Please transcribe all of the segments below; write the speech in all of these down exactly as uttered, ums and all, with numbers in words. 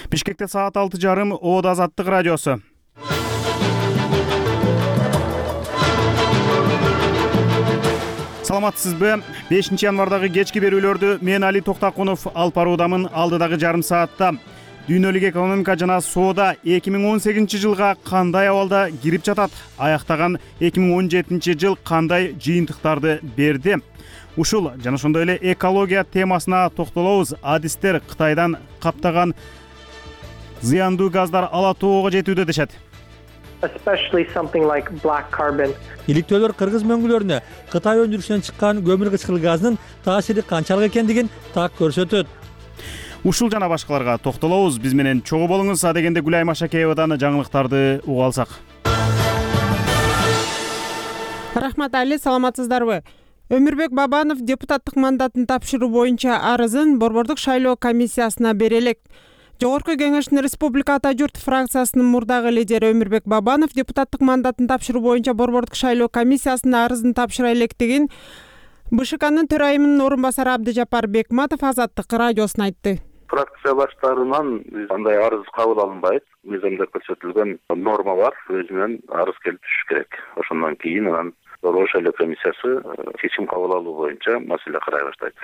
Бишкекте саат алты жарым Оод Азаттык радиосу. Саламатсызбы? бешинчи январдагы кечки берүүлөрдү мен Али Токтакунов алып баруудамын. Алдыдагы жарым саатта дүйнөлүк экономика жана соода эки миң он сегизинчи жылга кандай абалда кирип жатат? Аяктаган эки миң он жетинчи жыл кандай жыйынтыктарды берди? Ушул жана ошондой эле экология темасына токтолобуз. Адистер Кытайдан каптаган зыяндуу газдар ала тоого жетүүдө дешет. Especially something like black carbon. Иликтөөлөр кыргыз мөңгүлөрүнө Кытай өндүрүшүнөн чыккан көмүр кычкыл газынын таасири канчалык экендигин так көрсөтөт. Ушул жана башкаларга токтолобуз. Биз менен чогуу болуңуз. Адегенде Гүлай Машакеевадан жаңылыктарды угуп алсак. Рахмат Али, саламатсыздарбы? Өмүрбек Бабанов депутаттык мандатын тапшыруу боюнча арызын Борбордук шайлоо комиссиясына бере элек. Жогорку кеңештин Республика Ата журт фракциясынын мурдагы лидери Өмүрбек Бабанов депутаттык мандатын тапшыруу боюнча Борбордук шайлоо комиссиясына арызын тапшыра электигин БШКнын төрайымынын орун басары Абдыжапар Бекматов Азаттык радиосуна айтты. Фракция баштарынан андай арыз кабыл алынбайт. Мыйзамда көрсөтүлгөн норма бар, өзүнөн арыз келип түшүш керек. Ошондон кийин анан Борбордук шайлоо комиссиясы чечим кабыл алуу боюнча маселе карай баштайт.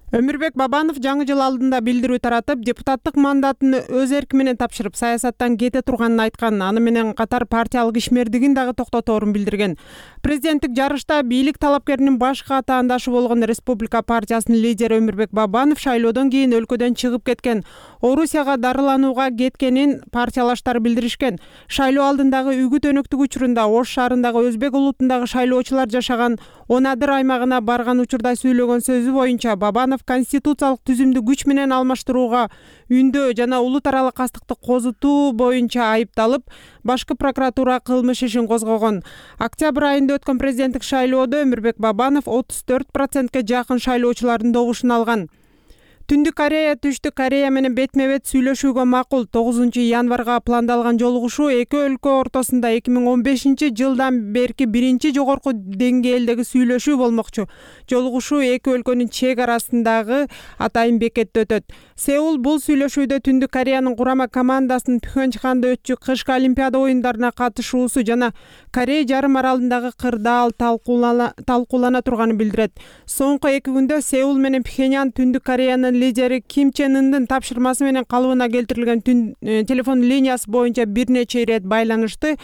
Өмүрбек Бабанов жаңы жыл алдында билдирүү таратып, депутаттык мандатын өз эрки менен тапшырып, саясаттан кете турганын айткан. Аны менен катар партиялык ишмердигин дагы токтоторун билдирген. Президенттик жарышта бийлик талапкеринин башкы атаандашы болгон Республика партиясынын лидери Өмүрбек Бабанов шайлоодон кийин өлкөдөн чыгып кеткен, Орусияга дарыланууга кеткенин партиялаштары билдиришкен. Шайлоо алдындагы үгүт өнөктүк учурунда Ош шаарындагы өзбек улутундагы шайлоочулар жашаган Онадыр аймагына барган учурда сүйлөгөн сөзү боюнча Бабанов конституциялык түзүмдү күч менен алмаштырууга үндөө жана улут аралык кастыкты козутуу боюнча айыпталып, башкы прокуратура кылмыш ишин козгогон. Октябрь айында өткөн президенттик шайлоодо Өмүрбек Бабанов отуз төрт процентке жакын шайлоочулардын добушун алган. Түндүк Корея Түштүк Корея менен бетме-бет сүйлөшүүгө макул. тогузунчу январга пландалган жолугушуу эки өлкө ортосунда эки миң он бешинчи жылдан берки биринчи жогорку деңгээлдеги сүйлөшүү болмокчу. Жолугушуу эки өлкөнүн чек арасындагы атайын бекетте өтөт. Сеул бул сүйлөшүүдө Түндүк Кореянын курама командасынын Пхенчханда өтчү кышкы Олимпиада оюндарына катышуусу жана Корея жарым аралындагы кырдаал талкуулана, талкуулана турганын билдирет. Соңку эки күндө Сеул менен Пхеньян Түндүк Кореянын лидери Ким Чен Ындын тапшырмасы менен калыбына келтирилген түн, э, телефон линиясы боюнча бир нече ирет байланышты.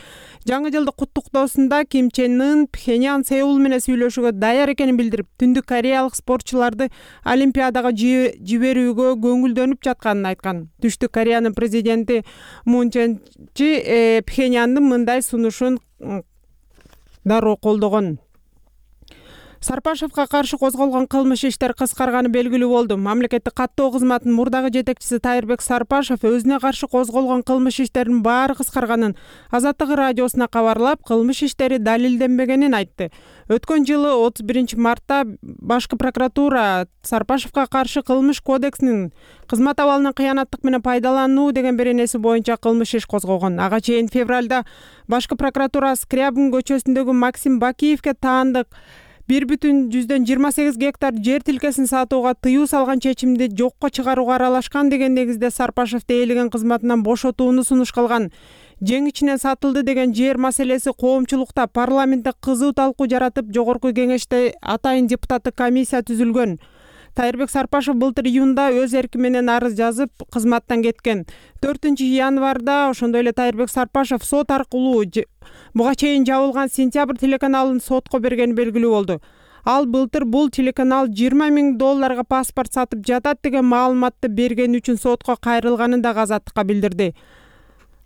Жаңы жылды куттуктоосунда Ким Чен Ын Пхеньян Сеул менен сүйлөшүүгө даяр экенин билдирип, Түндүк Кореялык спортчуларды Олимпиадага жиберүүгө көңүлдөнүп жатканын айткан. Түштүк Кореянын президенти Мун Чжэ э, Пхеньяндын мындай сунушун дароо колдогон. Сарпашевка каршы козголгон кылмыш иштер кыскарганы белгилүү болду. Мамлекеттик каттоо кызматынын мурдагы жетекчиси Тайырбек Сарпашев өзүнө каршы козголгон кылмыш иштеринин баары кыскарганын Азаттык радиосуна кабарлап, кылмыш иштери далилденбегенин айтты. Өткөн жылы отуз биринчи мартта башкы прокуратура Сарпашевка каршы кылмыш кодексинин кызмат абалынын кыянаттык менен пайдалануу деген беренеси боюнча кылмыш иш козгогон. Ага чейин февралда башкы прокуратура Скрябин көчөсүндөгү Максим Бакиевке таандык бир бүтүн жүздөн жыйырма сегиз гектар жер тилкесин сатууга тыюу салган чечимди жокко чыгарууга аралашкан деген негизде Сарпашевди ээлеген кызматынан бошотууну сунуш кылган. Жең ичинен сатылды деген жер маселеси коомчулукта парламентте кызуу талкуу жаратып, жогорку кеңеште атайын депутаттык комиссия түзүлгөн. Тайырбек Сарпашев былтыр июнда өз эрки менен арыз жазып, кызматтан кеткен. төртүнчү январда ошондой эле Тайырбек Сарпашев сот аркылуу буга чейин жабылган Сентябрь телеканалын сотко бергени белгилүү болду. Ал былтыр бул телеканал жыйырма миң долларга паспорт сатып жатат деген маалыматты бергени үчүн сотко кайрылганын да Азаттыкка билдирди.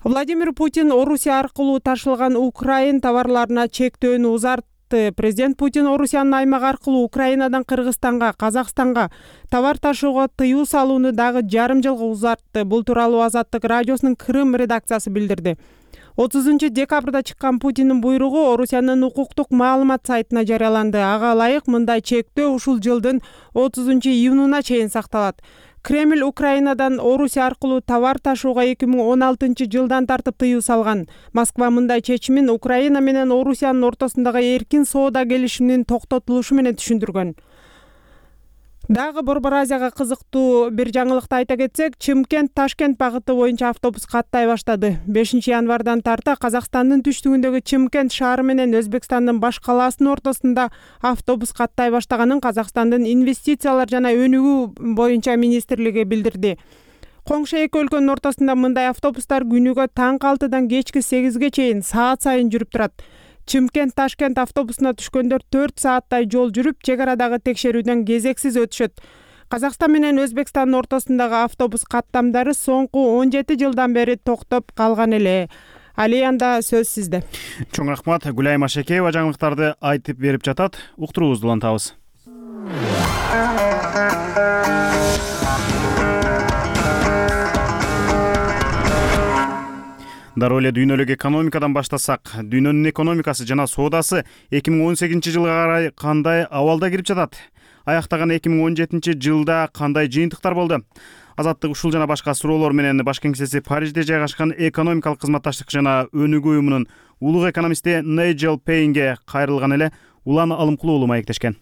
Владимир Путин Орусия аркылуу ташылган Украин товарларына чектөөнү узартты. Президент Путин Орусиянын аймагы аркылуу Украинадан Кыргызстанга, Казакстанга товар ташууга тыюу салууну дагы жарым жылга узартты. Бул тууралуу Азаттык радиосунун Крым редакциясы билдирди. отузунчу декабрда чыккан Путиндин буйругу Орусиянын укуктук маалымат сайтына жарыяланды. Ага ылайык мындай чектөө ушул жылдын отузунчу июнуна чейин сакталат. Кремль Украинадан Орусия аркылуу товар ташууга эки миң он алтынчы жылдан тартып тыюу салган. Москва мындай чечимин Украина менен Орусиянын ортосундагы эркин соода келишиминин токтотулушу менен түшүндүргөн. Дагы Борбор Азияга кызыктуу бир жаңылыкты айта кетсек, Чымкент Ташкент багыты боюнча автобус каттай баштады. бешинчи январдан тарта Казакстандын түштүгүндөгү Чымкент шаары менен Өзбекстандын баш калаасынын ортосунда автобус каттай баштаганын Казакстандын инвестициялар жана өнүгүү боюнча министрлиги билдирди. Коңшу эки өлкөнүн ортосунда мындай автобустар күнүгө таңкы алтыдан кечки сегизге чейин саат сайын жүрүп турат. Чымкент Ташкент автобусуна түшкөндөр төрт сааттай жол жүрүп, чек арадагы текшерүүдөн кезексиз өтүшөт. Казакстан менен Өзбекстандын ортосундагы автобус каттамдары соңку он жети жылдан бери токтоп калган эле. Алиянда сөз сизде. Чоң рахмат. Гүлайым Ашекеева жаңылыктарды айтып берип жатат. Уктуруубузду улантабыз. Дароо эле дүйнөлүк экономикадан баштасак, дүйнөнүн экономикасы жана соодасы эки миң он сегизинчи жылга карай кандай абалда кирип жатат? Аяктаган эки миң он жетинчи жылда кандай жыйынтыктар болду? Азаттык ушул жана башка суроолор менен баш кеңсеси Парижде жайгашкан экономикалык кызматташтык жана өнүгүү уюмунун улуг экономисти Найджел Пейнге кайрылган эле Улан Алымкулуу маектешкен.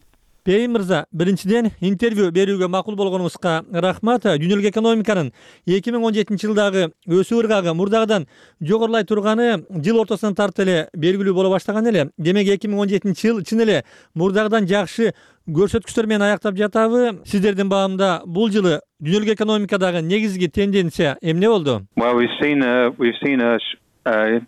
Пейн мырза, биринчиден интервью берүүгө макул болгонуңузга рахмат. Дүйнөлүк экономиканын эки миң он жетинчи жылдагы өсүү ыргагы мурдагыдан жогорулай турганы жыл ортосунан тарта эле белгилүү боло баштаган эле. Демек эки миң он жетинчи жыл чын эле мурдагыдан жакшы көрсөткүчтөр менен аяктап жатабы? Сиздердин баамда бул жылы дүйнөлүк экономикадагы негизги тенденция эмне болду? Well, we've seen a we've seen a, a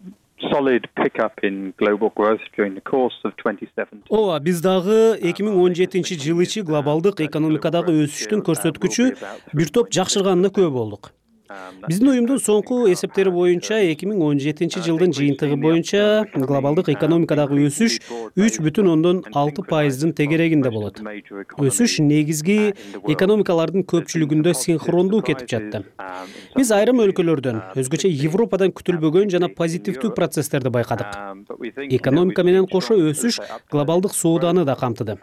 solid pickup in global growth during the course of twenty seventeen. Ооба, биз дагы эки миң он жетинчи жыл ичи глобалдык экономикадагы өсүштүн көрсөткүчү бир топ жакшырганына күбө болдук. Биздин уюмдун соңку эсептери боюнча эки миң он жетинчи жылдын жыйынтыгы боюнча глобалдык экономикадагы өсүш үч бүтүн ондон алты пайыздын тегерегинде болот. Өсүш негизги экономикалардын көпчүлүгүндө синхрондуу кетип жатты. Биз айрым өлкөлөрдөн, өзгөчө Европадан күтүлбөгөн жана позитивдүү процесстерди байкадык. Экономика менен кошо өсүш глобалдык сооданы да камтыды.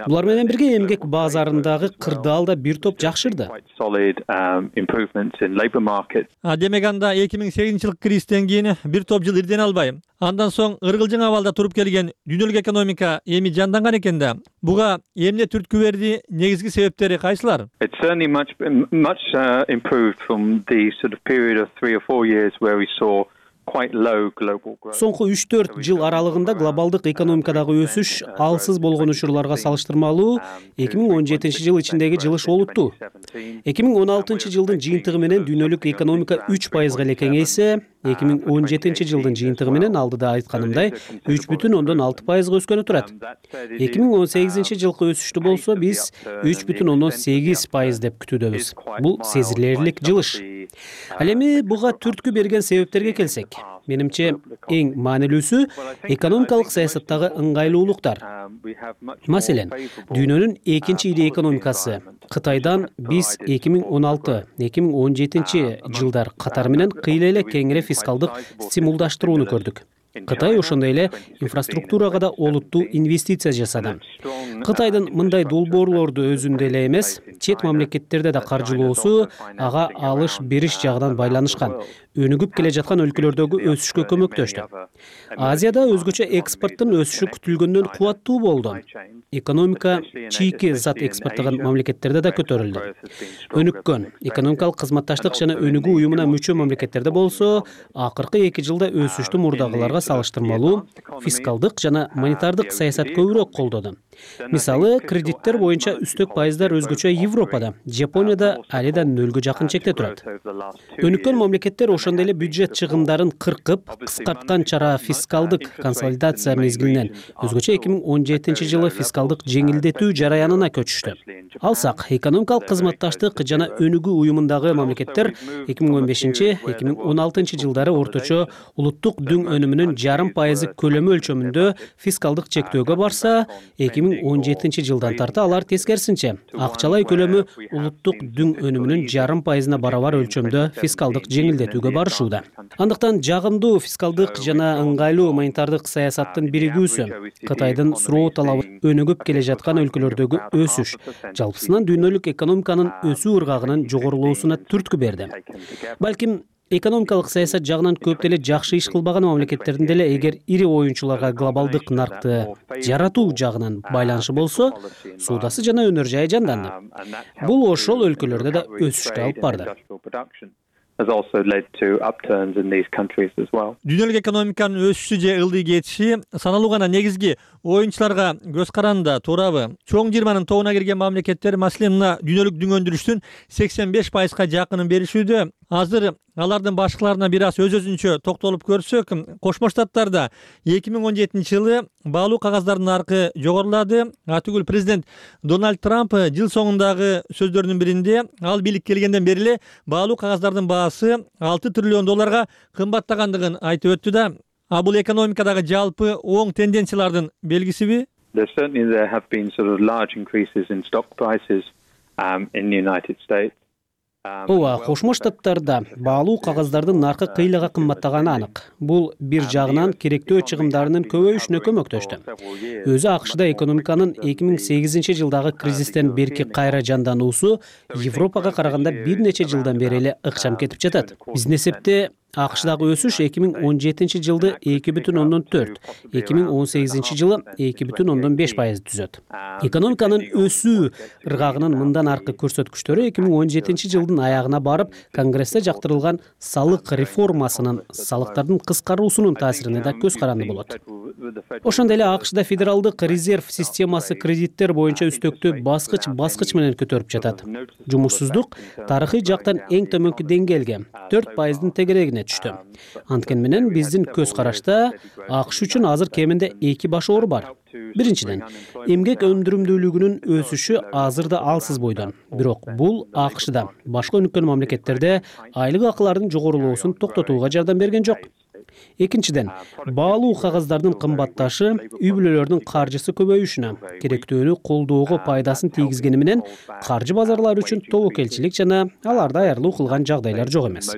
Булар менен бирге эмгек базарындагы кырдаал да бир топ жакшырды. А демек анда эки миң сегизинчи жылкы кризистен кийин бир топ жыл ирден албай, андан соң ыргылжың абалда туруп келген дүйнөлүк экономика эми жанданган экен да. Буга эмне түрткү берди, негизги себептери кайсылар? It's certainly much much uh, improved from the sort of period of three or four years where we saw Соңку үч төрт жыл аралыгында глобалдык экономикадагы өсүш алсыз болгон учурларга салыштырмалуу эки миң он жетинчи жыл ичиндеги жылыш олуттуу. эки миң он алтынчы жылдын жыйынтыгы менен дүйнөлүк экономика үч пайызга эле кеңейсе, эки миң он жетинчи жылдын жыйынтыгы менен алдыда айтканымдай үч бүтүн ондон алты пайызга өскөнү турат. эки миң он сегизинчи жылкы өсүштү болсо биз үч бүтүн ондон сегиз пайыз деп күтүүдөбүз. Бул сезилерлик жылыш. Ал эми буга түрткү берген себептерге келсек, менимче эң маанилүүсү экономикалык саясаттагы ыңгайлуулуктар. Маселен, дүйнөнүн экинчи ири экономикасы Кытайдан биз эки миң он алты — эки миң он жетинчи жылдар катары менен кыйла эле кеңири фискалдык стимулдаштырууну көрдүк. Кытай ошондой эле инфраструктурага да олуттуу инвестиция жасады. Кытайдын мындай долбоорлорду өзүндө эле эмес, чет мамлекеттерде да каржылоосу ага алыш бериш жагынан байланышкан. Өнүгүп келе жаткан өлкөлөрдөгү өсүшкө көмөктөштү. Азияда өзгөчө экспорттун өсүшү күтүлгөндөн кубаттуу болду. Экономика чийки зат экспорттогон мамлекеттерде да көтөрүлдү. Өнүккөн экономикалык кызматташтык жана өнүгүү уюмуна мүчө мамлекеттерде болсо, акыркы эки жылда өсүштү мурдагыларга салыштырмалуу фискалдык жана монетардык саясат көбүрөөк колдоду. Мисалы, кредиттер боюнча үстөк пайыздар өзгөчө Европада, Жапонияда али да нөлгө жакын чекте турат. Өнүккөн мамлекеттер ошондой эле бюджет чыгымдарын кыркып, кыскарткан чара фискалдык консолидация мезгилинен өзгөчө эки миң он жетинчи жылы фискалдык жеңилдетүү жараянына көчүштү. Алсак, экономикалык кызматташтык жана өнүгүү уюмундагы мамлекеттер эки миң он бешинчи — эки миң он алтынчы жылдары орточо улуттук дүң өнүмүнүн жарым пайызы көлөмү өлчөмүндө фискалдык чектөөгө барса, эки миң он жетинчи жылдан тарта алар тескерисинче акчалай көлөмү улуттук дүң өнүмүнүн жарым пайызына барабар өлчөмдө фискалдык жеңилдетүүгө барышууда. Андыктан жагымдуу фискалдык жана ыңгайлуу монетардык саясаттын биригүүсү, Кытайдын суроо талабы өнүгүп келе жаткан өлкөлөрдөгү өсүш жалпысынан дүйнөлүк экономиканын өсүү ыргагынын жогорулоосуна түрткү берди. Балким экономикалык саясат жагынан көп деле жакшы иш кылбаган мамлекеттердин деле эгер ири оюнчуларга глобалдык наркты жаратуу жагынан байланышы болсо, суудасы жана өнөр жайы жанданды. Бул ошол өлкөлөрдө да өсүшкө алып барды. has also led to upturns in these countries as well. Дүйнөлүк экономиканын өсүшү же ылдый кетиши саналуу гана негизги оюнчуларга көз каранды туурабы? Чоң жыйырманын тобуна кирген мамлекеттер, маселен, мына дүйнөлүк дүң өндүрүштүн сексен беш пайызга жакынын беришүүдө. Азыр алардын башкаларына бир аз өз-өзүнчө токтолуп көрсөк, Кошмо Штаттарда эки миң он жетинчи жылы баалуу кагаздардын наркы жогорулады. Атүгүл президент Дональд Трамп жыл соңундагы сөздөрүнүн биринде ал бийликке келгенден бери эле баалуу кагаздардын баасы алты триллион долларга кымбаттагандыгын айтып өттү да. А бул экономикадагы жалпы оң тенденциялардын белгисиби? There certainly there have been sort of large increases in stock prices um, in the United States. Ооба, Кошмо Штаттарда баалуу кагаздардын наркы кыйлага кымбаттаганы анык. Бул бир жагынан керектөө чыгымдарынын көбөйүшүнө көмөктөштү. Өзү АКШда экономиканын эки миң сегизинчи жылдагы кризистен берки кайра жандануусу Европага караганда бир нече жылдан бери эле ыкчам кетип жатат. Биздин эсепте АКШдагы өсүш эки миң он жетинчи жылды эки бүтүн ондон төрт, эки миң он сегизинчи жылы эки бүтүн ондон беш пайыз түзөт. Экономиканын өсүү ыргагынын мындан аркы көрсөткүчтөрү эки миң он жетинчи жылдын аягына барып, Конгрессте жактырылган салык реформасынын, салыктардын кыскаруусунун таасирине да көз каранды болот. Ошондой эле АКШда федералдык резерв системасы кредиттер боюнча үстөктү баскыч-баскыч менен көтөрүп жатат. Жумушсуздук тарыхый жактан эң төмөнкү деңгээлге төрт пайыздын тегерегине түштү. Анткени менен биздин көз карашта АКШ үчүн азыр кеминде эки баш оор бар. Биринчиден, эмгек өндүрүмдүүлүгүнүн өсүшү азыр да алсыз бойдон. Бирок бул АКШда, башка өнүккөн мамлекеттерде айлык акылардын жогорулоосун токтотууга жардам берген жок. Экинчиден, баалуу кагаздардын кымбатташы үй бүлөлөрдүн каржысы көбөйүшүнө, керектөөнү колдоого пайдасын тийгизгени менен каржы базарлары үчүн тобокелчилик жана аларды аярлуу кылган жагдайлар жок эмес.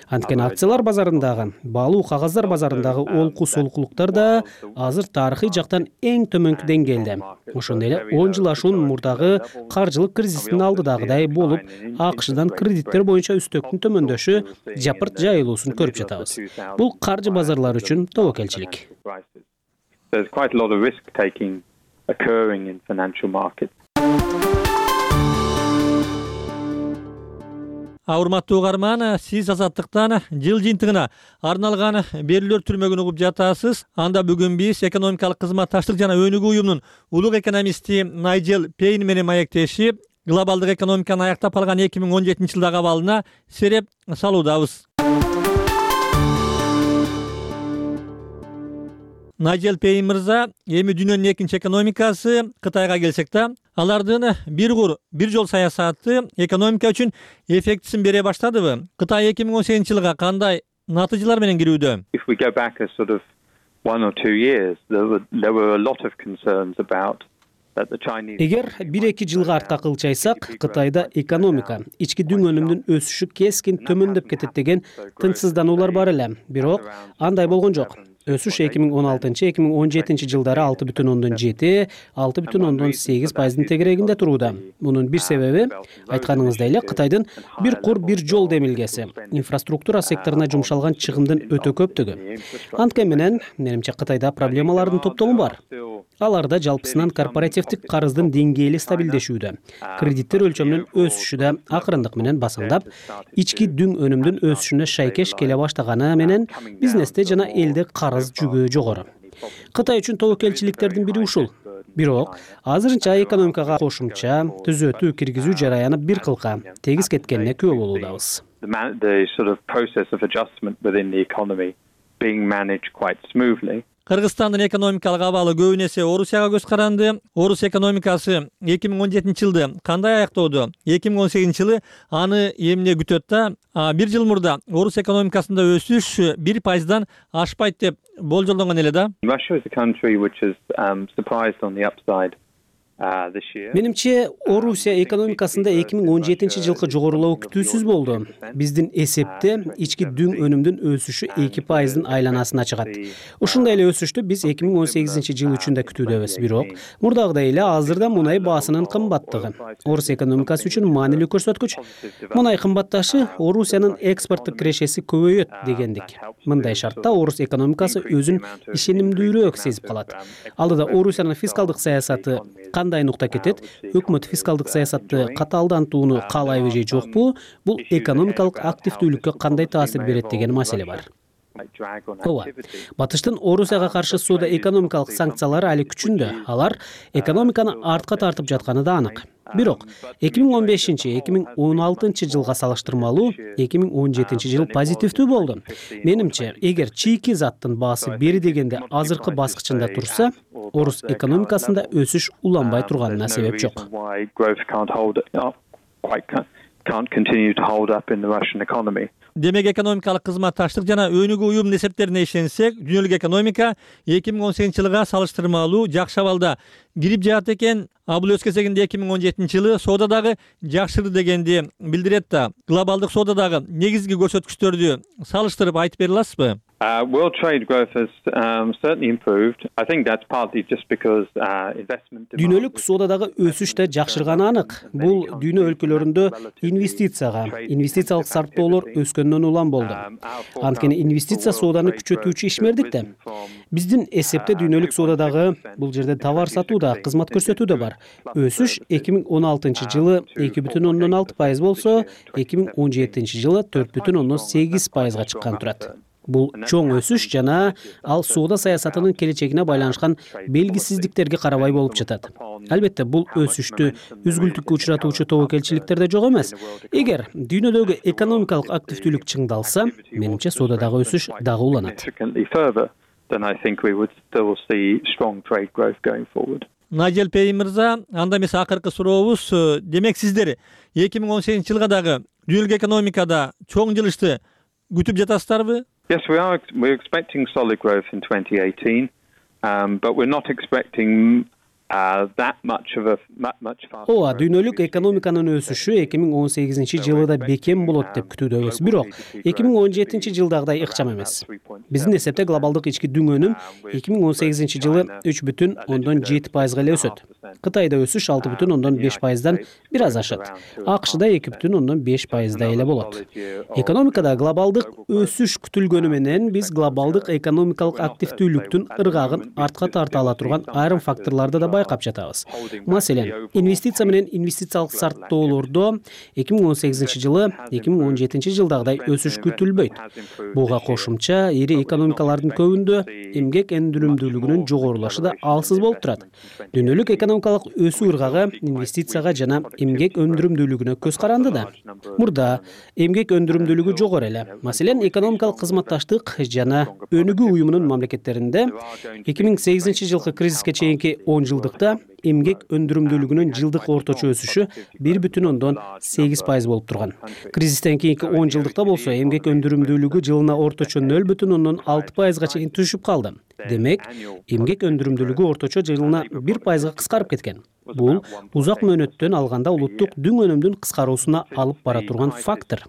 Анткени акциялар базарындагы, баалуу кагаздар базарындагы олку солкулуктар да азыр тарыхый жактан эң төмөнкү деңгээлде. Ошондой эле он жыл ашуун мурдагы каржылык кризистин алдыдагыдай болуп, АКШдан кредиттер боюнча үстөктүн төмөндөшү жапырт жайылуусун көрүп жатабыз. Бул каржы базарлары үчүн тобокелчилик. There's quite a lot of risk taking occurring in financial markets. Урматтуу угарман, сиз Азаттыктан жыл жыйынтыгына арналган берүүлөр түрмөгүн угуп жатасыз. Анда бүгүн биз экономикалык кызматташтык жана өнүгүү уюмунун улук экономисти Найджел Пейн менен маектешип, глобалдык экономиканы аяктап калган эки миң он жетинчи жылдагы абалына сереп салуудабыз. Найджел Пейн мырза, эми дүйнөнүн экинчи экономикасы Кытайга келсек да, алардын бир кур, бир жол саясаты экономика үчүн эффектисин бере баштадыбы? Кытай эки миң он сегизинчи жылга кандай натыйжалар менен кирүүдө? If we go back a sort of one or two years, there were, there were a lot of concerns about Эгер бир-эки жылга артка кылчайсак, Кытайда экономика, ички дүң өнүмүнүн өсүшү кескин төмөндөп кетет деген тынчсыздануулар бар эле. Бирок андай болгон жок. Өсүш эки миң он алтынчы эки миң он жетинчи жылдары алты бүтүн ондон жети, алты бүтүн ондон сегиз пайыздын тегерегинде турууда. Мунун бир себеби, айтканыңыздай эле, Кытайдын бир кур бир жол демилгеси, инфраструктура секторуна жумшалган чыгымдын өтө көптүгү. Анткени менен, менимче Кытайда проблемалардын топтому бар. Аларда жалпысынан корпоративдик карыздын деңгээли стабилдешүүдө, кредиттер өлчөмүнүн өсүшү да акырындык менен басаңдап, ички дүң өнүмдүн өсүшүнө шайкеш келе баштаганы менен бизнесте жана элде карыз жүгү жогору. Кытай үчүн тобокелчиликтердин бири ушул. Бирок азырынча экономикага кошумча түзөтүү киргизүү жараяны бир кылка тегиз кеткенине күбө болуудабыз. The sort of process of adjustment within the economy being managed quite smoothly. Кыргызстандын экономикалык абалы көбүн эсе Орусияга көз каранды. Орус экономикасы эки миң он жетинчи жылды кандай аяктоодо? эки миң он сегизинчи жылы аны эмне күтөт да? Бир жыл мурда Орус экономикасында өсүш бир пайыздан ашпайт деп болжолдонгон эле да. Russia is a country which has um, surprised on the upside Менимче Орусия экономикасында эки миң он жетинчи жылкы жогорулоо күтүүсүз болду. Биздин эсепте ички дүң өнүмдүн өсүшү эки пайыздын айланасына чыгат. Ушундай эле өсүштү биз эки миң он сегизинчи жыл үчүн да күтүүдөбүз. Бирок мурдагыдай эле азырда мунай баасынын кымбаттыгы Орус экономикасы үчүн маанилүү көрсөткүч. Мунай кымбатташы Орусиянын экспорттук кирешеси көбөйөт дегендик. Мындай шартта Орус экономикасы өзүн ишенимдүүрөөк сезип калат. Алдыда Орусиянын фискалдык саясаты кандай нукта кетет? Өкмөт фискалдык саясатты катаалдантууну каалайбы же жокпу? Бул экономикалык активдүүлүккө кандай таасир берет деген маселе бар. Ооба, Батыштын Орусияга каршы соода экономикалык санкциялары али күчүндө. Алар экономиканы артка тартып жатканы да анык. Бирок эки миң он бешинчи эки миң он алтынчы жылга салыштырмалуу эки миң он жетинчи жыл позитивдүү болду. Менимче, эгер чийки заттын баасы бери дегенде азыркы баскычында турса, Орус экономикасында өсүш уланбай турганына себеп жок. Демек экономикалык кызматташтык жана өнүгүү уюмунун эсептерине ишенсек, дүйнөлүк экономика эки миң он сегизинчи жылга салыштырмалуу жакшы абалда кирип жатат экен. А бул өз кезегинде эки миң он жетинчи жылы соода дагы жакшырды дегенди билдирет да. Глобалдык соодадагы негизги көрсөткүчтөрдү салыштырып айтып бере аласызбы? Uh, world trade growth has um, certainly improved. I think that's partly just because uh, investment. Дүйнөлүк соодадагы өсүш да жакшырганы анык. Бул дүйнө өлкөлөрүндө инвестицияга, инвестициялык сарптоолор өскөндөн улам болду. Анткени инвестиция сооданы күчөтүүчү ишмердик да. Биздин эсепте дүйнөлүк соодадагы бул жерде товар сатуу да, кызмат көрсөтүү да бар. Өсүш эки миң он алтынчы жылы эки бүтүн ондон алты пайыз болсо, эки миң он жетинчи жылы төрт бүтүн ондон сегиз пайызга чыккан турат. Бул чоң өсүш жана ал соода саясатынын келечегине байланышкан белгисиздиктерге карабай болуп жатат. Албетте, бул өсүштү үзгүлтүккө учуратуучу тобокелчиликтер да жок эмес. Эгер дүйнөдөгү экономикалык активдүүлүк чыңдалса, менимче соодадагы өсүш дагы уланат. Найжел Пей мырза, анда эмес акыркы сурообуз, демек сиздер эки миң он сегизинчи жылга дагы дүйнөлүк экономикада чоң жылышты күтүп жатасыздарбы? Yes, we are. We're expecting solid growth in twenty eighteen, um, but we're not expecting uh, that much of a much faster. Ооба, дүйнөлүк экономиканын өсүшү эки миң он сегизинчи жылда бекем болот деп күтүүдөбүз. Бирок эки миң он жетинчи жылдагыдай ыкчам эмес. Биздин эсепте глобалдык ички дүң өнүм эки миң он сегизинчи жылы үч бүтүн ондон жети пайызга эле өсөт. Кытайда өсүш алты бүтүн ондон беш пайыздан бир аз ашат. АКШда эки бүтүн ондон беш пайыздай эле болот. Экономикада глобалдык өсүш күтүлгөнү менен биз глобалдык экономикалык активдүүлүктүн ыргагын артка тарта ала турган айрым факторлорду да байкап жатабыз. Маселен, инвестиция менен инвестициялык сарптоолордо эки миң он сегизинчи жылы эки миң он жетинчи жылдагыдай өсүш күтүлбөйт. Буга кошумча ири экономикалардын көбүндө эмгек өндүрүмдүүлүгүнүн жогорулашы да алсыз болуп турат. Дүйнөлүк экономикалык өсүү ыргагы инвестицияга жана эмгек өндүрүмдүүлүгүнө көз каранды да. Мурда эмгек өндүрүмдүүлүгү жогору эле. Маселен, экономикалык кызматташтык жана өнүгүү уюмунун мамлекеттеринде эки миң сегизинчи жылкы кризиске чейинки он жылдыкта эмгек өндүрүмдүүлүгүнүн жылдык орточо өсүшү бир бүтүн ондон сегиз пайыз болуп турган. Кризистен кийинки он жылдыкта болсо эмгек өндүрүмдүүлүгү жылына орточо нөл бүтүн ондон алты пайызга чейин түшүп калды. Демек, эмгек өндүрүмдүүлүгү орточо жылына бир пайызга кыскарып кеткен. Бул узак мөөнөттөн алганда улуттук дүң өнүмдүн кыскаруусуна алып бара турган фактор.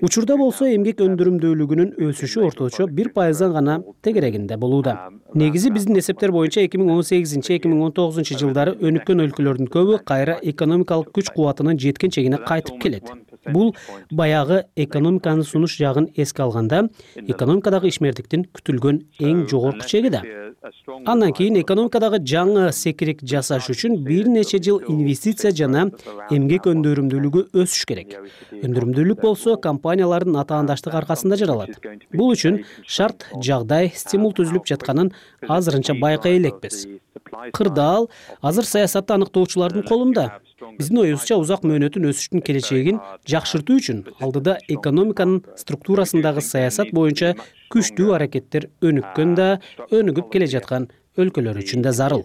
Учурда болсо эмгек өндүрүмдүүлүгүнүн өсүшү орточо бир пайыздан гана тегерегинде болууда. Негизи биздин эсептер боюнча эки миң он сегизинчи эки миң он тогузунчу жылдары өнүккөн өлкөлөрдүн көбү кайра экономикалык күч кубатынын жеткен чегине кайтып келет. Бул баягы экономиканын сунуш жагын эске алганда, экономикадагы ишмердиктин күтүлгөн эң жогорку чеги да. Андан кийин экономикадагы жаңы секирик жасаш үчүн бир нече жыл инвестиция жана эмгек өндүрүмдүүлүгү өсүш керек. Өндүрүмдүүлүк болсо компаниялардын атаандаштык аркасында жаралат. Бул үчүн шарт, жагдай, стимул түзүлүп жатканын азырынча байкай элекпиз. Кырдаал азыр саясатты аныктоочулардын колунда. Биздин оюбузча узак мөөнөттүн өсүштүн келечегин жакшыртуу үчүн алдыда экономиканын структурасындагы саясат боюнча күчтүү аракеттер өнүккөн да, өнүгүп келе жаткан өлкөлөр үчүн да зарыл.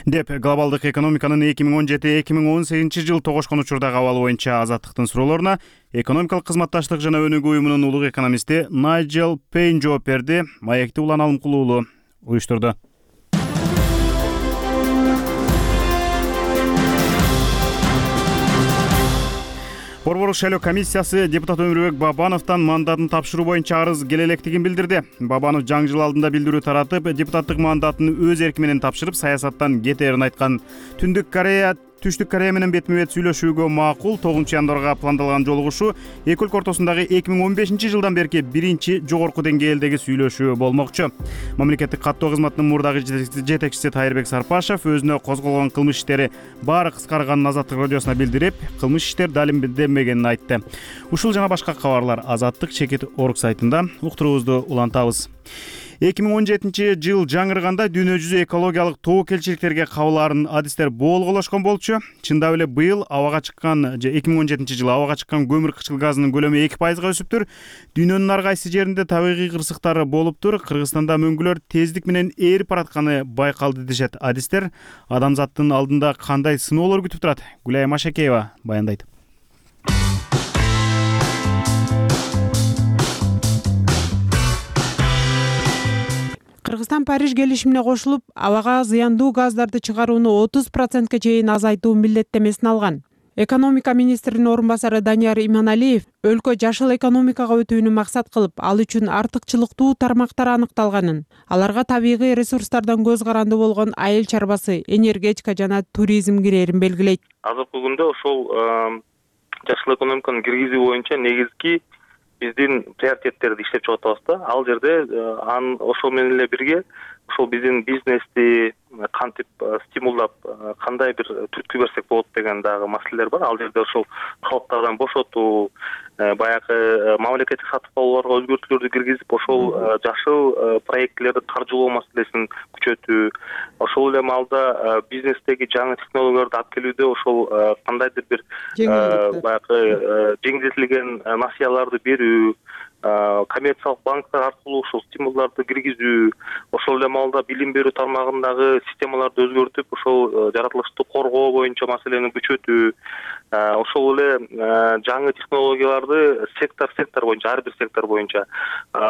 деп глобалдык экономиканын эки миң он жети эки миң он сегизинчи жыл тогошкон учурдагы абалы боюнча Азаттыктын суроолоруна экономикалык кызматташтык жана өнүгүү уюмунун улуг экономисти Найджел Пейн жооп берди. Маекти Улан Алымкул уулу уюштурду. Борбордук шайлоо комиссиясы депутат Өмүрбек Бабановдон мандатын тапшыруу боюнча арыз келе электигин билдирди. Бабанов жаңы жыл алдында билдирүү таратып, депутаттык мандатын өз эрки менен тапшырып, саясаттан кетээрин айткан. Түндүк Корея Түштүк Корея менен бетме-бет сүйлөшүүгө макул. тогузунчу январга пландалган жолугушуу эки өлкө ортосундагы эки миң он бешинчи жылдан берки биринчи жогорку деңгээлдеги сүйлөшүү болмокчу. Мамлекеттик каттоо кызматынын мурдагы жетекчиси Тайырбек Сарпашев өзүнө козголгон кылмыш иштери баары кыскарганын Азаттык радиосуна билдирип, кылмыш иштер далилденбегенин айтты. Ушул жана башка кабарлар Азаттык чекит орг сайтында. Уктуруубузду улантабыз. эки миң он жетинчи жыл жаңырганда дүйнө жүзү экологиялык тобокелчиликтерге кабыл адистер болголошкон болчу. Чындап эле быйыл абага чыккан же эки миң он жетинчи жылы абага чыккан көмүр кычкыл газынын көлөмү эки пайызга өсүптүр. Дүйнөнүн ар кайсы жеринде табигый кырсыктары болуптур. Кыргызстанда мөңгүлөр тездик менен ээрип баратканы байкалды дешет адистер. Адамзаттын алдында кандай сыноолор күтүп турат? Гүлай Машакеева баяндайт. Кыргызстан Париж келишимине кошулуп, абага зыяндуу газдарды чыгарууну отуз процентке чейин азайтуу милдеттемесин алган. Экономика министринин орун басары Данияр Иманалиев өлкө жашыл экономикага өтүүнү максат кылып, ал үчүн артыкчылыктуу тармактар аныкталганын, аларга табигый ресурстардан көз каранды болгон айыл чарбасы, энергетика жана туризм кирээрин белгилейт. Азыркы күндө ошол жашыл экономиканы киргизүү боюнча негизги биздин приоритеттерди иштеп чыгып атабыз да. Ал жерде ан ошол менен эле бирге ошол биздин бизнести кантип стимулдап, кандай бир түрткү берсек болот деген дагы маселелер бар. Ал жерде ошол калыптардан бошотуу, баягы мамлекеттик сатып алууларга өзгөртүүлөрдү киргизип, ошол жашыл проектлерди каржылоо маселесин күчөтүү, ошол эле маалда бизнестеги жаңы технологияларды алып келүүдө ошол кандайдыр бир баягы жеңилдетилген насыяларды берүү, коммерциялык банктар аркылуу ошол стимулдарды киргизүү, ошол эле маалда билим берүү тармагындагы системаларды өзгөртүп, ошол жаратылышты коргоо боюнча маселени күчөтүү, ошол эле жаңы технологияларды сектор сектор боюнча, ар бир сектор боюнча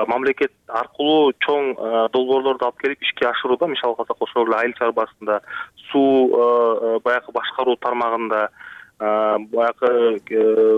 мамлекет аркылуу чоң долбоорлорду алып келип ишке ашырууда, мисалы алсак ошол эле айыл чарбасында, суу баягы башкаруу тармагында, баягы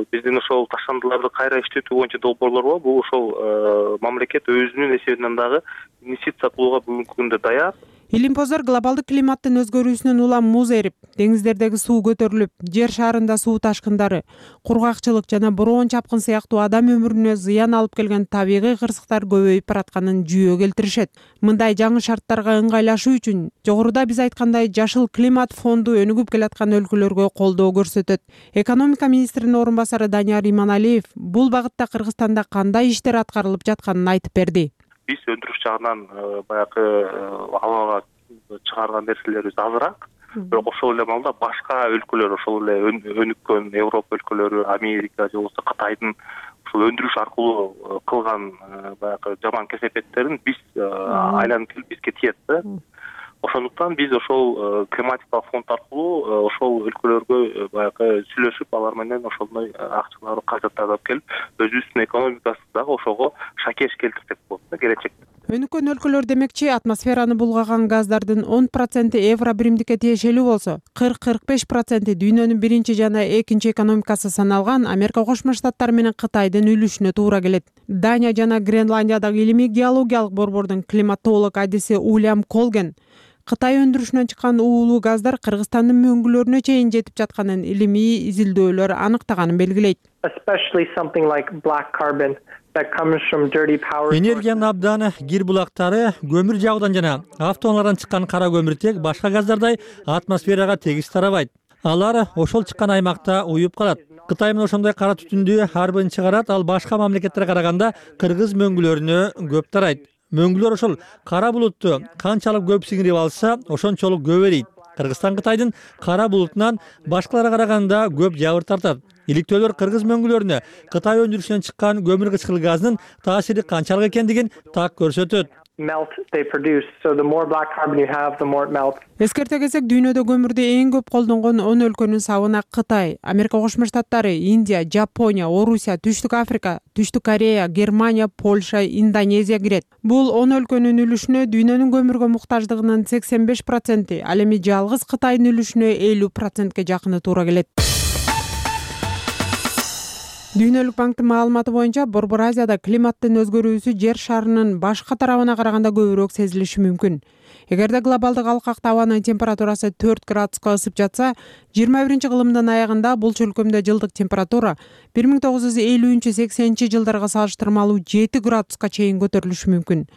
биздин ошол таштандыларды кайра иштетүү боюнча долбоорлор бар. Бул ошол мамлекет өзүнүн эсебинен дагы инвестиция кылууга бүгүнкү күндө даяр. Илимпоздор глобалдык климаттын өзгөрүүсүнөн улам муз эрип, деңиздердеги суу көтөрүлүп, жер шарында суу ташкындары, кургакчылык жана бороон чапкын сыяктуу адам өмүрүнө зыян алып келген табигый кырсыктар көбөйүп баратканын жүйө келтиришет. Мындай жаңы шарттарга ыңгайлашуу үчүн жогоруда биз айткандай жашыл климат фонду өнүгүп келаткан өлкөлөргө колдоо көрсөтөт. Экономика министринин орун басары Данияр Иманалиев бул багытта Кыргызстанда кандай иштер аткарылып жатканын айтып берди. Биз өндүрүш жагынан баягы абага чыгарган нерселерибиз азыраак, бирок ошол эле маалда башка өлкөлөр, ошол эле өнүккөн Европа өлкөлөрү, Америка же болбосо Кытайдын ошол өндүрүш аркылуу кылган баягы жаман кесепеттерин биз айланып келип бизге тиет да. Ошондуктан биз ошол климатикалык фонд аркылуу ошол өлкөлөргө баягы сүйлөшүп, алар менен ошондой акчаларды кайтартып келип, өзүбүздүн экономикасын дагы ошого шакеш келтирсек болот да келечекте. Өнүккөн өлкөлөр демекчи, атмосфераны булгаган газдардын он проценти евро биримдикке тиешелүү болсо, кырк кырк беш проценти дүйнөнүн биринчи жана экинчи экономикасы саналган Америка Кошмо Штаттары менен Кытайдын үлүшүнө туура келет. Дания жана Гренландиядагы илимий геологиялык борбордун климатолог адиси Уильям Колген Кытай өндүрүшүнөн чыккан уулуу газдар Кыргызстандын мөңгүлөрүнө чейин жетип жатканын илимий изилдөөлөр аныктаганын белгилейт. Especially something like black carbon that comes from dirty power. Энергиянын абдан кир булактары көмүр жагуудан жана автоунаалардан чыккан кара көмүртек башка газдардай атмосферага тегиз тарабайт. Алар ошол чыккан аймакта уюп калат. Кытай менен ошондой кара түтүндү ар бирин чыгарат, ал башка мамлекеттерге караганда кыргыз мөңгүлөрүнө көп тарайт. Мөңгүлөр ошол кара булутту канчалык көп сиңирип алса, ошончолук көп эрийт. Кыргызстан Кытайдын кара булутунан башкаларга караганда көп жабыр тартат. Иликтөөлөр кыргыз мөңгүлөрүнө Кытай өндүрүшүнөн чыккан көмүр кычкыл газынын таасири канчалык экендигин так көрсөтөт. melt they produce. So the more black carbon you have, the more it melts. Эскерте келсек, дүйнөдө көмүрдү эң көп колдонгон он өлкөнүн сабына Кытай, Америка Кошмо Штаттары, Индия, Жапония, Орусия, Түштүк Африка, Түштүк Корея, Германия, Польша, Индонезия кирет. Бул он өлкөнүн үлүшүнө дүйнөнүн көмүргө муктаждыгынын сексен беш проценти, ал эми жалгыз Кытайдын үлүшүнө элүү процентке жакыны туура келет. Дүйнөлүк банктын маалыматы боюнча, Борбор Азияда климаттын өзгөрүүсү жер шарынын башка тарабына караганда көбүрөөк сезилиши мүмкүн. Эгерде глобалдык алкакта абанын температурасы төрт градуска ысып жатса, жыйырма биринчи кылымдын аягында бул чөлкөмдө жылдык температура бир миң тогуз жүз элүүнчү сексенинчи жылдарга салыштырмалуу жети градуска чейин көтөрүлүшү мүмкүн.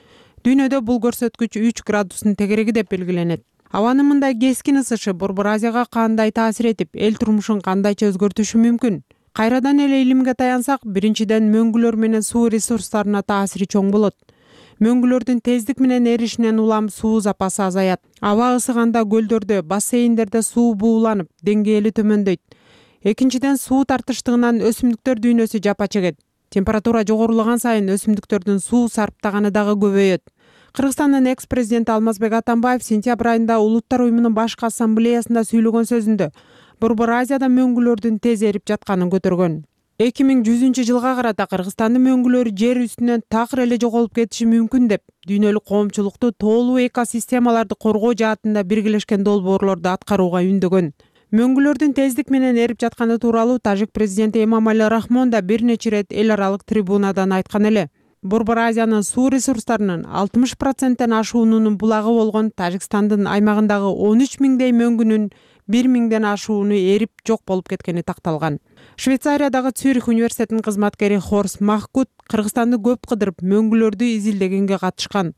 Дүйнөдө бул көрсөткүч үч градустун тегереги деп белгиленет. Абанын мындай кескин ысышы Борбор Азияга кандай таасир этип, эл турмушун кандайча өзгөртүшү мүмкүн? Кайрадан эле илимге таянсак, биринчиден мөңгүлөр менен суу ресурстарына таасири чоң болот. Мөңгүлөрдүн тездик менен эришинен улам суу запасы азаят. Аба ысыганда көлдөрдө, бассейндерде суу бууланып, деңгээли төмөндөйт. Экинчиден суу тартыштыгынан өсүмдүктөр дүйнөсү жапа чегет. Температура жогорулаган сайын өсүмдүктөрдүн суу сарптаганы дагы көбөйөт. Кыргызстандын экс-президенти Алмазбек Атамбаев сентябрь айында Улуттар уюмунун башкы ассамблеясында сүйлөгөн сөзүндө Борбор Азияда мөңгүлөрдүн тез эрип жатканын көтөргөн. эки миң жүзүнчү жылга карата Кыргызстандын мөңгүлөрү жер үстүнөн такыр эле жоголуп кетиши мүмкүн деп, дүйнөлүк коомчулукту тоолуу экосистемаларды коргоо жаатында биргелешкен долбоорлорду аткарууга үндөгөн. Мөңгүлөрдүн тездик менен эрип жатканы тууралуу тажик президенти Эмомали Рахмон да бир нече ирет эл аралык трибунадан айткан эле. Борбор Азиянын суу ресурстарынын алтымыш проценттен ашуунун булагы болгон Тажикстандын аймагындагы он үч миңдей мөңгүнүн бир миңден ашууну эрип жок болуп кеткени такталган. Швейцариядагы Цюрих университетинин кызматкери Хорс Махкут Кыргызстанды көп кыдырып мөңгүлөрдү изилдегенге катышкан.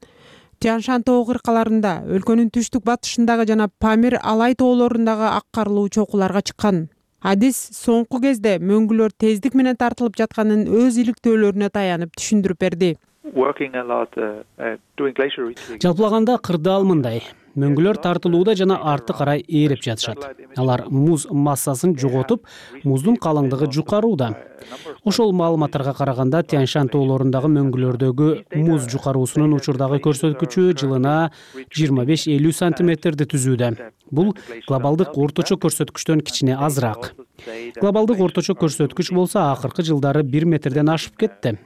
Тянь-Шань тоо кыркаларында, өлкөнүн түштүк батышындагы жана Памир Алай тоолорундагы ак карлуу чокуларга чыккан. Адис соңку кезде мөңгүлөр тездик менен тартылып жатканын өз иликтөөлөрүнө таянып түшүндүрүп берди. Жалпылаганда кырдаал мындай: мөңгүлөр тартылууда жана арты карай ээрип жатышат. Алар муз массасын жоготуп, муздун калыңдыгы жукарууда. Ошол маалыматтарга караганда Тянь-Шань тоолорундагы мөңгүлөрдөгү муз жукаруусунун учурдагы көрсөткүчү жылына жыйырма беш элүү сантиметрди түзүүдө. Бул глобалдык орточо көрсөткүчтөн кичине азыраак. Глобалдык орточо көрсөткүч болсо акыркы жылдары бир метрден ашып кетти.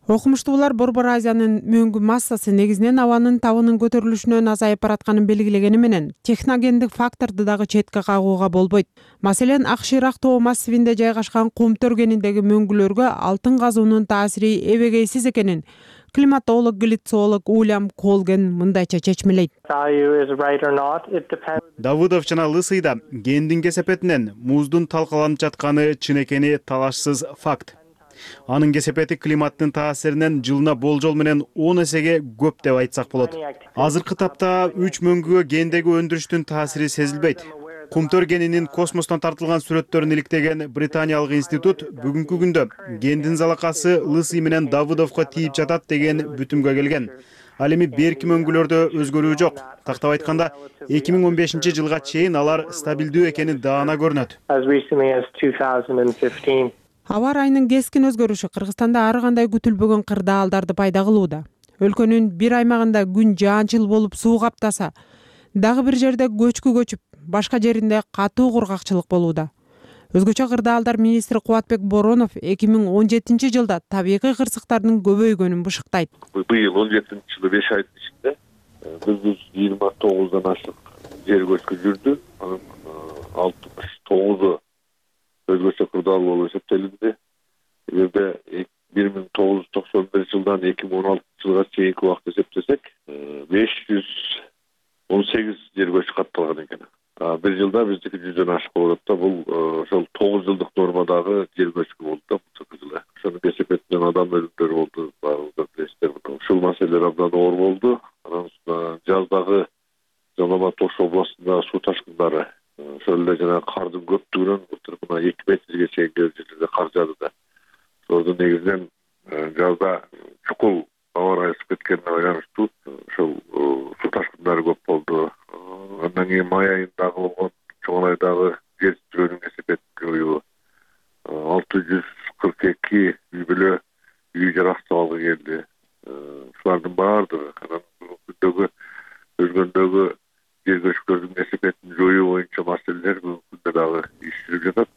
Окумуштуулар Борбор Азиянын мөңгү массасы негизинен абанын табынын көтөрүлүшүнөн азайып баратканын белгилегени менен техногендик факторду дагы четке кагууга болбойт. Маселен, Акширак тоо массивинде жайгашкан кум төргениндеги мөңгүлөргө алтын казуунун таасири эбегейсиз экенин климатолог, глицолог Уильям Колген мындайча чечмелейт. Давыдов жана Лысыйда гендин кесепетинен муздун талкаланып жатканы чын экени талашсыз факт. Анын кесепети климаттын таасиринен жылына болжол менен он эсеге көп деп айтсак болот. Азыркы тапта үч мөңгүгө гендеги өндүрүштүн таасири сезилбейт. Кумтөр генинин космостон тартылган сүрөттөрүн иликтеген британиялык институт бүгүнкү күндө гендин залакасы Лысый менен Давыдовго тийип жатат деген бүтүмгө келген. Ал эми берки мөңгүлөрдө өзгөрүү жок. Тактап айтканда, эки миң он бешинчи жылга чейин алар стабилдүү экени даана көрүнөт. Аба ырайынын кескин өзгөрүшү Кыргызстанда ар кандай күтүлбөгөн кырдаалдарды пайда кылууда. Өлкөнүн бир аймагында күн жаанчыл болуп суу каптаса, дагы бир жерде көчкү көчүп, башка жеринде катуу кургакчылык болууда. Өзгөчө кырдаалдар министри Кубатбек Боронов эки миң он жетинчи жылда табигый кырсыктардын көбөйгөнүн бышыктайт. Быйыл он жетинчи жылы беш айдын ичинде бир жүз жыйырма тогуздан ашык жер көчкү жүрдү. Анын алтымыш тогузу өзгөчө кырдаал болуп эсептелинди. Эгерде бир миң тогуз жүз токсон биринчи жылдан эки миң он алтынчы жылга чейинки убакытты эсептесек, беш жүз он сегиз жер көчкү катталган экен. Бир жылда биздики жүздөн ашык болуп атат да. Бул ошол тогуз жылдык нормадагы жер көчкү болду да бул жылы. Ошонун кесепетинен адам өлүмдөрү болду, баарыңыздар билесиздер. Ушул маселелер абдан оор болду. Анан жаздагы Жалал Тош областындагы суу ташкындары, ошол эле жана кардын көптүгүнөн мына эки метрге чейин жерлерде кар жаады да. Ошолордун негизинен жазда чукул аба ырайы ысып кеткенине байланыштуу ошол суу ташкындары көп болду. Андан кийин май айындагы болгон чоң айдагы жер титирөөнүн кесепетин көбөйүү, алты жүз кырк эки үй бүлө үй жарак жер көчкүлөрдүн кесепетин жоюу боюнча маселелер бүгүнкү күндө дагы иш жүрүп жатат,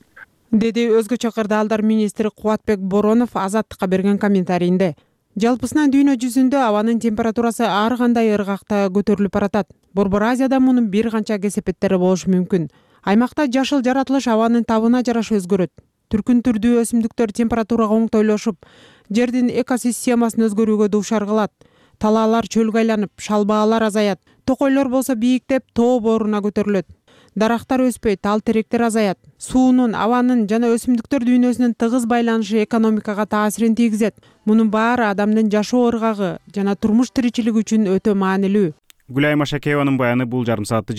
деди өзгөчө кырдаалдар министри Кубатбек Боронов Азаттыкка берген комментарийинде. Жалпысынан дүйнө жүзүндө абанын температурасы ар кандай ыргакта көтөрүлүп баратат. Борбор Азияда мунун бир канча кесепеттери болушу мүмкүн. Аймакта жашыл жаратылыш абанын табына жараша өзгөрөт. Түркүн түрдүү өсүмдүктөр температурага оңтойлошуп, жердин экосистемасын өзгөрүүгө дуушар кылат. Талаалар чөлгө айланып, шалбаалар азаят. Токойлор болсо бийиктеп, тоо бооруна көтөрүлөт. Дарактар өспөйт, ал теректер азаят. Суунун, абанын жана өсүмдүктөр дүйнөсүнүн тыгыз байланышы экономикага таасирин тийгизет. Мунун баары адамдын жашоо ыргагы жана турмуш тиричилиги үчүн өтө маанилүү. Гүлайма Шакееванын баяны бул жарым саатты